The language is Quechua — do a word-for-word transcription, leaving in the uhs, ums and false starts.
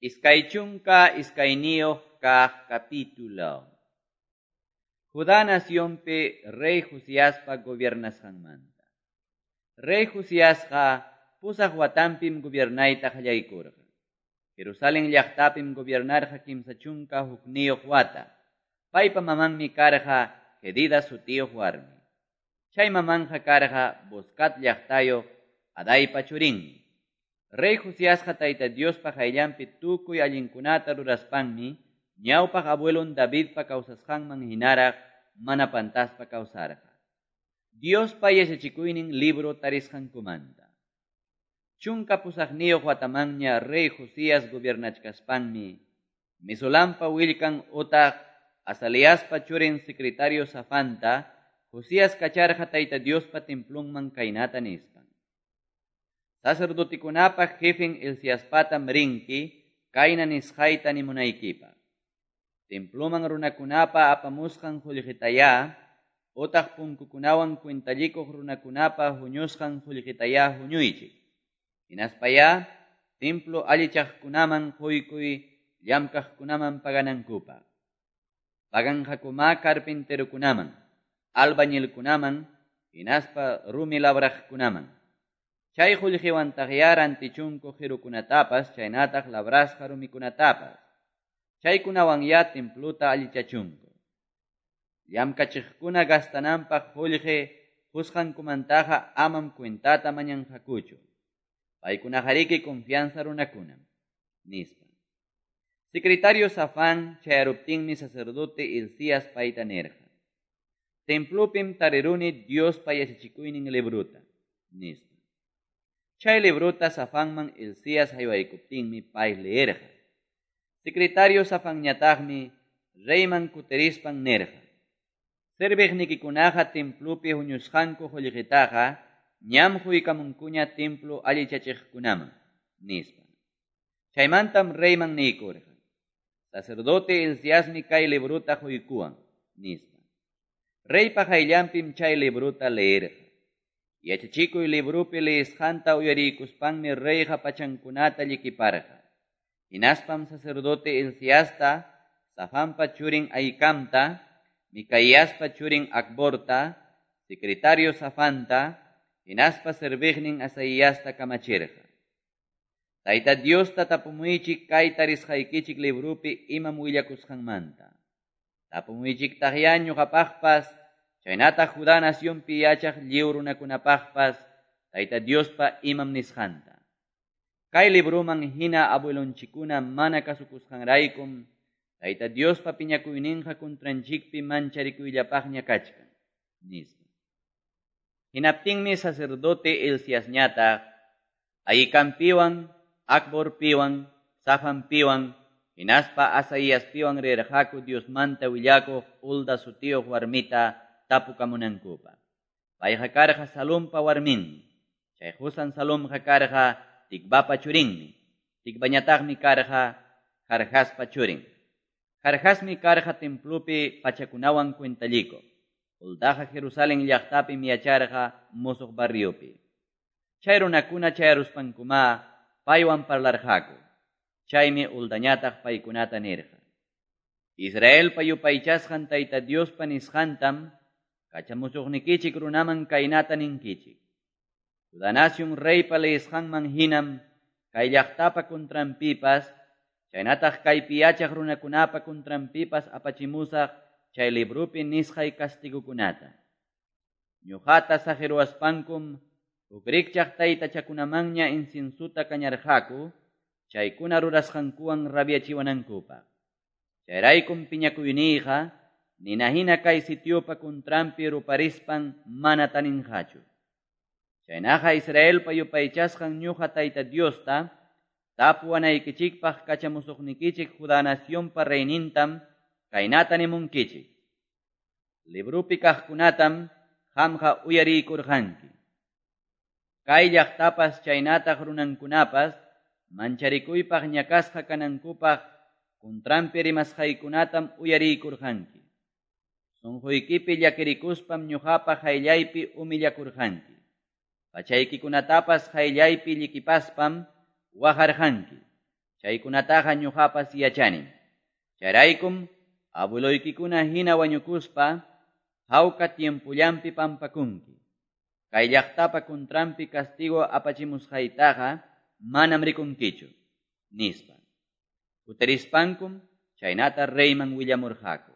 Iskay chunka iskayniyuq kaq capítulo. Judá nacionpi rey Josiaspa gobiernasqanmanta. Rey Josiasqa pusaq watanpim gobiernayta qallaykurqa. Jerusalén llaqtapim gobiernarqa kimsa chunka hukniyuq wata. Paypa mamanmi karqa Jedida sutiyuq warmi. Chay mamanja karqa Boscat llaqtayuq Adaypa churinmi. Rey Josiasqa Tayta Diospa qayllanpi tukuy allinkunata ruraspanmi ñawpaq abuelon Davidpa kawsasqanman hinaraq mana pantaspa kawsarqa. Diospa yachachikuynin libro tarisqankumanta. Chunka pusaqniyuq watamanña rey Josías gobiernachkaspanmi Mesulampa willkan utaq Azaliaspa churin secretario Safanta Josías kacharqa Tayta Diospa templunman kaynata nispan. Sacerdotikunapa jefen Hilciaspatam rinki kayna nisqayta nimunaykipaq. Temploman runakunapa apamusqan qullqitayá utaq punkukunawan cuentallikuq runakunapa huñusqan qullqitayá huñuychik. Hinaspayá templo allichaqkunaman quykuy llamkaqkunaman paganankupaq. Paganqakumá carpinterokunaman, albañilkunaman, hinaspa rumi labraqkunaman. Chay qullqiwantaqyá rantichunku qirukunatapas chaynataq labrasqa rumikunatapas. Chaykunawanyá templuta allichachunku. Llamkachiqkuna gastananpaq qullqi qusqankumantaqa amam cuentata mañanqakuchu. Paykunaqariki confianza runakunam, nispa. Secretario Safán chayaruptinmi sacerdote Hilcías payta nirqa. Templupim tariruni Diospa yachachikuynin libruta, nispa. Chay libruta Safanman Hilcías haywaykuptinmi pay leerqa. Secretario Safanñataqmi reyman kutirispan nirqa. Serviqnikikunaqa templupi huñusqanku qullqitaqa ñam huykamunkuña templo allichachiqkunaman, nispa. Chaymantam reyman niykurqa. Sacerdote Hilciasmi kay libruta huykuwan, nispa. Reypa qayllanpim chay libruta leerqa. Yachachikuy librupi leesqanta uyariykuspanmi reyqa pachankunata llikiparqa. Hinaspam sacerdote Hilciasta, Safanpa churin Ahikamta, Micaíaspa churin Acborta, secretario Safanta, hinaspa serviqnin Asaíasta kamachirqa. Tayta Diosta tapumuychik kay tarisqaykichik librupi imam willakusqanmanta. Tapumuychiktaqyá ñuqapaqpas, chaynataq Judá nacionpi yachaq lliw runakunapaqpas, Tayta Diospa imam nisqanta. Kay libruman hina abuelonchikuna mana kasukusqanraykum, Tayta Diospa piñakuyninqa kuntranchikpi mancharikuyllapaqña kachkan, nispa. Hinaptinmi sacerdote Hilciasñataq Ahikampiwan, Acborpiwan, Safanpiwan, hinaspa Asaíaspiwan rirqaku Diosmanta willakuq Hulda sutiyuq warmita tapukamunankupaq. Payqa karqa Salumpa warminmi. Chay qusan Salumqa karqa Tikvapa churinmi. Tikvañataqmi karqa Jarjaspa churin. Jarjasmi karqa templopi pachakunawan cuentallikuq. Huldaqa Jerusalén llaqtapim yacharqa musuq barriopi. Chay runakuna chayaruspankumá paywan parlarqaku. Chaymi Huldañataq paykunata nirqa. Israelpa yupaychasqan Tayta Diospa nisqantam kachamusuqnikichik runaman kaynata ninkichik. Judá nación reypa leesqanman hinam kay llaqtapa kuntranpipas, chaynataq kaypi yachaq runakunapa kuntranpipas apachimusaq chay librupi nisqay kastigukunata. Ñuqata saqiruwaspankum huk rikchaq taytachakunamanña inciensuta kañarqaku, chaykuna rurasqankuwan rabiachiwanankupaq. Chayraykum piñakuyniyqa nina hina kay sitiopa kuntranpi ruparispan mana taninqachu. Chaynaqa Israelpa yupaychasqan ñuqa Tayta Diosta tapuwanaykichikpaq kachamusuqnikichik Judá nacionpa reynintam kaynata nimunkichik. Librupi kaqkunatam qamqa uyariykurqanki. Kay llaqtapas chaynataq runankunapas mancharikuypaq ñakasqa kanankupaq kuntranpi rimasqaykunatam uyariykurqanki. Sunquykipi llakirikuspam ñuqapa qayllaypi humillakurqanki. Pachaykikunatapas qayllaypi llikipaspam waqarqanki. Chaykunataqa ñoqapas yachanim. Chayraykum abueloykikuna hina wañukuspa hawka tiempollanpi pampakunki. Kay llaqtapa contranpi castigo apachimusqaytaqa manam rikunkichu, nispa. Kutirispankum chaynata reyman willamurqaku.